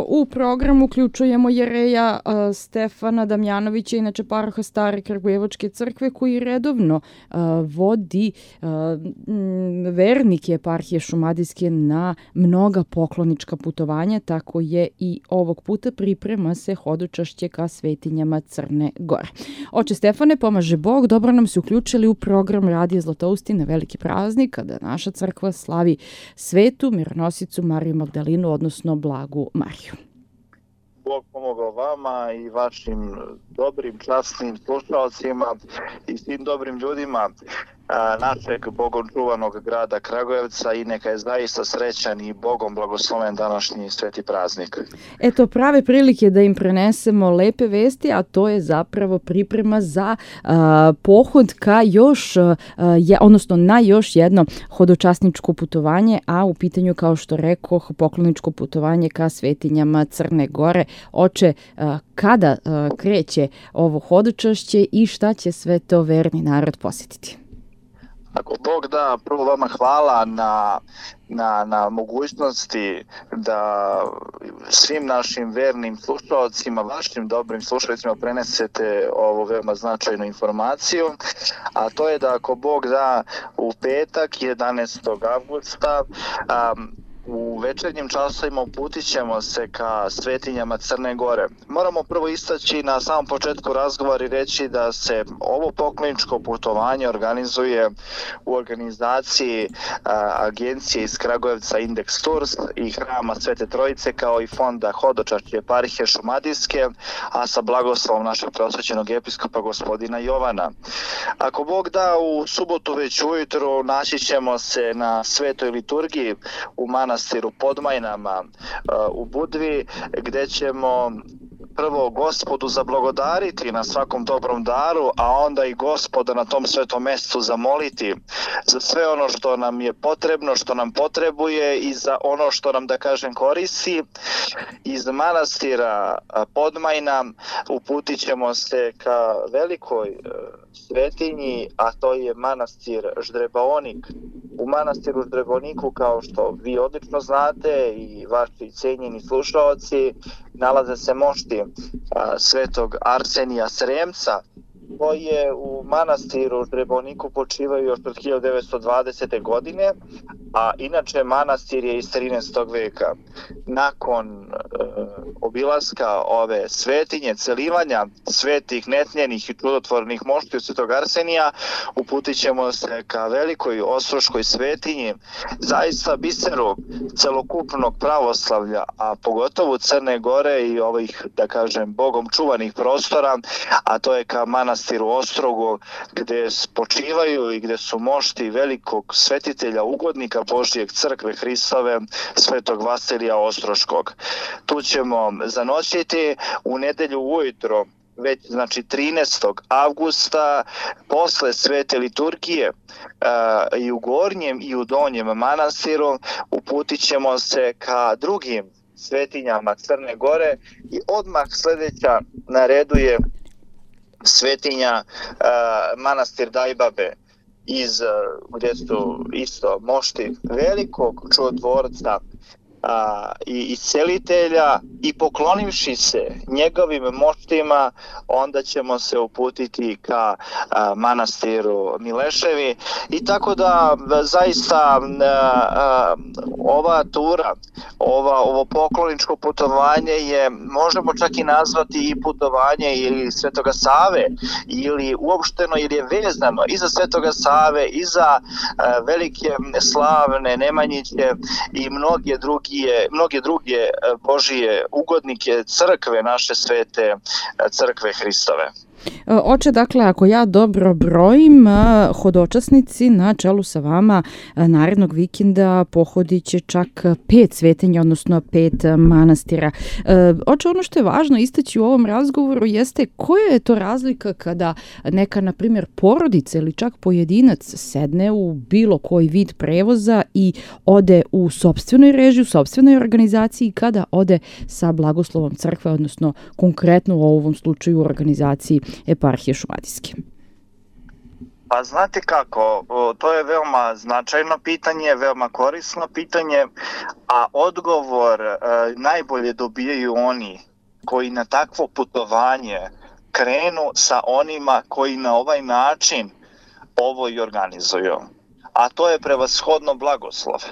U program uključujemo jereja Stefana Damjanovića, inače paroha Stare Kragujevačke crkve, koji redovno vodi vernike eparhije Šumadijske na mnoga poklonička putovanja, tako je i ovog puta priprema se hodočašće ka svetinjama Crne Gore. Oče Stefane, pomaže Bog, dobro nam se uključili u program Radija Zlatoustin na veliki praznik, kada naša crkva slavi svetu mironosicu Mariju Magdalinu, odnosno Blagu Mariju. Bog pomogao vama i vašim dobrim, časnim slušalcima i svim dobrim ljudima našeg Bogom čuvanog grada Kragujevca i neka je zaista srećan i Bogom blagosloven današnji sveti praznik. Eto, prave prilike da im prenesemo lepe vesti, a to je zapravo priprema za pohod ka odnosno na još jedno hodočasničko putovanje, a u pitanju, kao što rekoh, pokloničko putovanje ka svetinjama Crne Gore. Oče, kada kreće ovo hodočašće i šta će sve to verni narod posjetiti? Ako Bog da, prvo vama hvala na mogućnosti da svim našim vernim slušalcima, vašim dobrim slušalicima prenesete ovu veoma značajnu informaciju, a to je da ako Bog da u petak 11. avgusta u večernjim časovima uputit ćemo se ka svetinjama Crne Gore. Moramo prvo istaći na samom početku razgovora i reći da se ovo pokloničko putovanje organizuje u organizaciji agencije iz Kragujevca Index Tours i Hrama Svete Trojice, kao i fonda Hodočašće eparhije Šumadijske, a sa blagoslovom našeg prosvećenog episkopa gospodina Jovana. Ako Bog da, u subotu već ujutro naći ćemo se na svetoj liturgiji u manastiru Podmajnama u Budvi, gdje ćemo prvo Gospodu zablagodariti na svakom dobrom daru, a onda i Gospoda na tom svetom mjestu zamoliti za sve ono što nam je potrebno, što nam potrebuje i za ono što nam, da kažem, koristi. Iz manastira Podmajna uputit ćemo se ka velikoj svetinji, a to je manastir Ždrebaonik. U manastiru Ždreboniku, kao što vi odlično znate i vaši cijenjeni slušaoci, nalaze se mošti svetog Arsenija Sremca, koji je u manastiru Ždreboniku počivaju još od 1920. godine, a inače manastir je iz 13. veka. Nakon obilaska ove svetinje, celivanja svetih, netnjenih i čudotvornih moštiju svetog Arsenija, uputit ćemo se ka velikoj ostroškoj svetinji, zaista biseru celokupnog pravoslavlja, a pogotovo Crne Gore i ovih, da kažem, Bogom čuvanih prostora, a to je ka manastiru Ostrogu, gdje počivaju i gdje su mošti velikog svetitelja, ugodnika Božijeg crkve Hristove, svetog Vasilija Ostroškog. Tu ćemo zanoćiti u nedelju ujutro, već znači 13. avgusta, posle svete liturgije i u gornjem i u donjem manastiru uputit ćemo se ka drugim svetinjama Crne Gore i odmah sljedeća na redu je svetinja manastir Dajbabe, gdje su isto mošti velikog čudotvorca i iscelitelja, i poklonivši se njegovim moštima, onda ćemo se uputiti ka manastiru Mileševi. I tako da zaista ova tura, ovo pokloničko putovanje je, možemo čak i nazvati i putovanje ili Svetoga Save, ili uopšteno, ili je vezano i za Svetoga Save, i za velike slavne Nemanjiće i mnoge druge Božije ugodnike crkve, naše svete crkve Hristove. Oče, dakle, ako ja dobro brojim, hodočasnici na čelu sa vama narednog vikenda pohodit će čak 5 svetinja, odnosno 5 manastira. Oče, ono što je važno istaći u ovom razgovoru jeste koja je to razlika kada neka, na primjer, porodica ili čak pojedinac sedne u bilo koji vid prevoza i ode u sopstvenoj režiji, u sopstvenoj organizaciji, kada ode sa blagoslovom crkve, odnosno konkretno u ovom slučaju u organizaciji eparhije Šumadijske. Pa znate kako, to je veoma značajno pitanje, veoma korisno pitanje, a odgovor najbolje dobijaju oni koji na takvo putovanje krenu sa onima koji na ovaj način ovo i organizuju. A to je prevashodno blagoslov.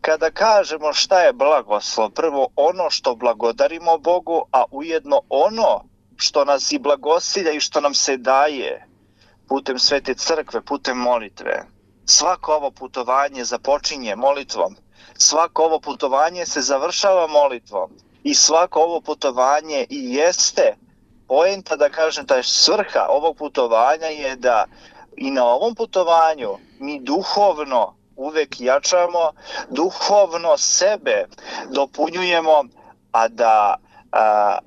Kada kažemo šta je blagoslov, prvo ono što blagodarimo Bogu, a ujedno ono što nas i blagosilja i što nam se daje putem Svete crkve, putem molitve. Svako ovo putovanje započinje molitvom, svako ovo putovanje se završava molitvom i svako ovo putovanje i jeste poenta, da kažem, ta je svrha ovog putovanja je da i na ovom putovanju mi duhovno uvek jačamo, duhovno sebe dopunjujemo, a da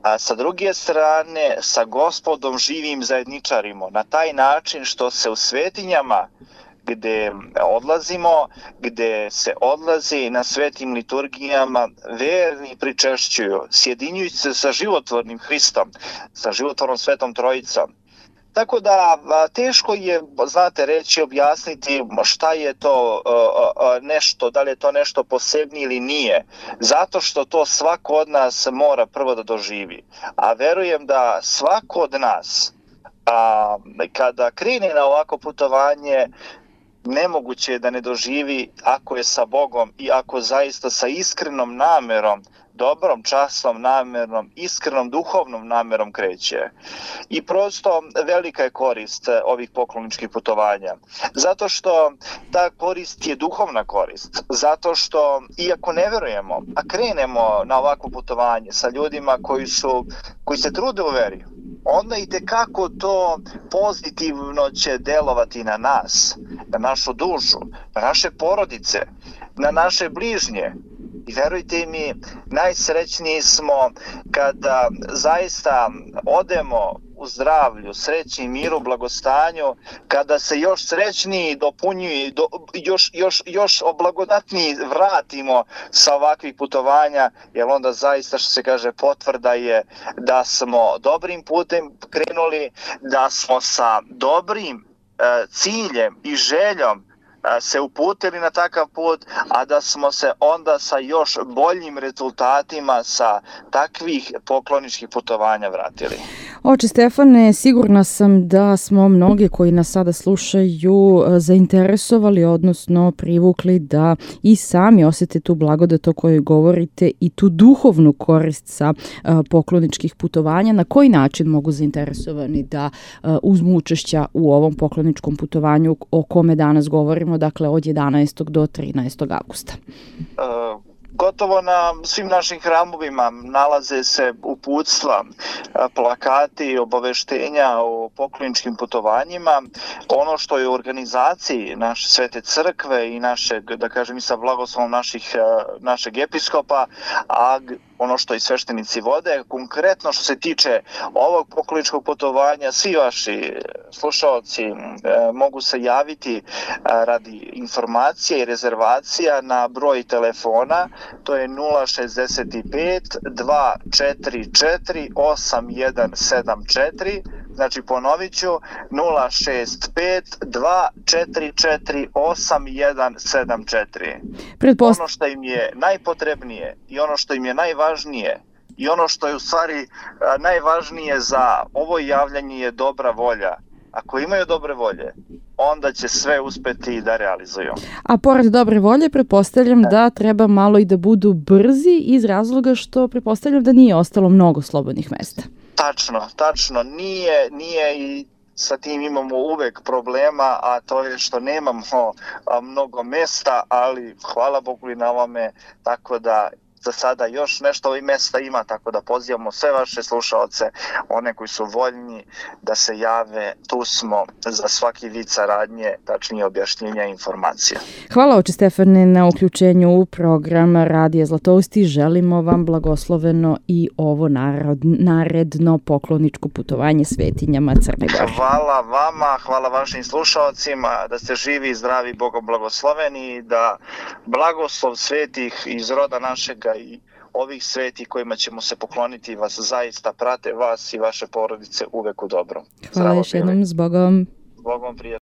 a sa druge strane sa Gospodom živim zajedničarimo na taj način što se u svetinjama gde odlazimo, gde se odlazi na svetim liturgijama, verni pričešćuju, sjedinjujući se sa životvornim Hristom, sa životvornom Svetom Trojicom. Tako da teško je, znate, reći, objasniti šta je to nešto, da li je to nešto posebnije ili nije. Zato što to svako od nas mora prvo da doživi. A verujem da svako od nas, kada krene na ovako putovanje, nemoguće je da ne doživi ako je sa Bogom i ako zaista sa iskrenom namerom, dobrom, časnom namerom, iskrenom duhovnom namerom kreće. I prosto velika je korist ovih pokloničkih putovanja. Zato što ta korist je duhovna korist. Zato što, iako ne verujemo, a krenemo na ovako putovanje sa ljudima koji se trude u veri, onda i tekako to pozitivno će delovati na nas, na našu dušu, na naše porodice, na naše bližnje. I verujte mi, najsrećniji smo kada zaista odemo u zdravlju, sreći, miru, blagostanju, kada se još srećniji dopunjuju, još blagodatniji vratimo sa ovakvih putovanja, jer onda zaista, što se kaže, potvrda je da smo dobrim putem krenuli, da smo sa dobrim ciljem i željom se uputili na takav put, a da smo se onda sa još boljim rezultatima sa takvih pokloničkih putovanja vratili. Oče Stefane, sigurna sam da smo mnogi koji nas sada slušaju zainteresovali, odnosno privukli da i sami osjete tu blagodat o kojoj govorite i tu duhovnu korist sa pokloničkih putovanja. Na koji način mogu zainteresovani da uzmu učešća u ovom pokloničkom putovanju o kome danas govorimo, dakle od 11. do 13. augusta? Gotovo na svim našim hramovima nalaze se uputstva, plakati, obaveštenja o pokloničkim putovanjima. Ono što je u organizaciji naše Svete crkve i našeg, da kažem, i sa blagoslovom našeg episkopa, a ono što i sveštenici vode, konkretno što se tiče ovog pokloničkog putovanja, svi vaši slušaoci mogu se javiti radi informacija i rezervacija na broj telefona, to je 065 244 8174, znači ponovit ću 065 244 8174. Ono što im je najpotrebnije i ono što im je najvažnije i ono što je u stvari najvažnije za ovo javljanje je dobra volja. Ako imaju dobre volje, onda će sve uspeti da realizuju. A pored dobre volje, pretpostavljam da treba malo i da budu brzi iz razloga što pretpostavljam da nije ostalo mnogo slobodnih mesta. Tačno. Nije i sa tim imamo uvek problema, a to je što nemamo mnogo mesta, ali hvala Bogu i na ovome, tako da za sada još nešto ovih mesta ima, tako da pozivamo sve vaše slušaoce, one koji su voljni da se jave, tu smo za svaki vid saradnje, tačnije objašnjenja i informacija. Hvala oče Stefane na uključenju u program Radija Zlatousti. Želimo vam blagosloveno i ovo naredno pokloničko putovanje svetinjama Crne Gore. Hvala vama, hvala vašim slušaocima, da ste živi i zdravi, Bogom blagosloveni, da blagoslov svetih iz roda našega i ovih sveti kojima ćemo se pokloniti vas zaista prate vas i vaše porodice uvek u dobrom. Hvala još jednom, s Bogom. S Bogom, prijatno.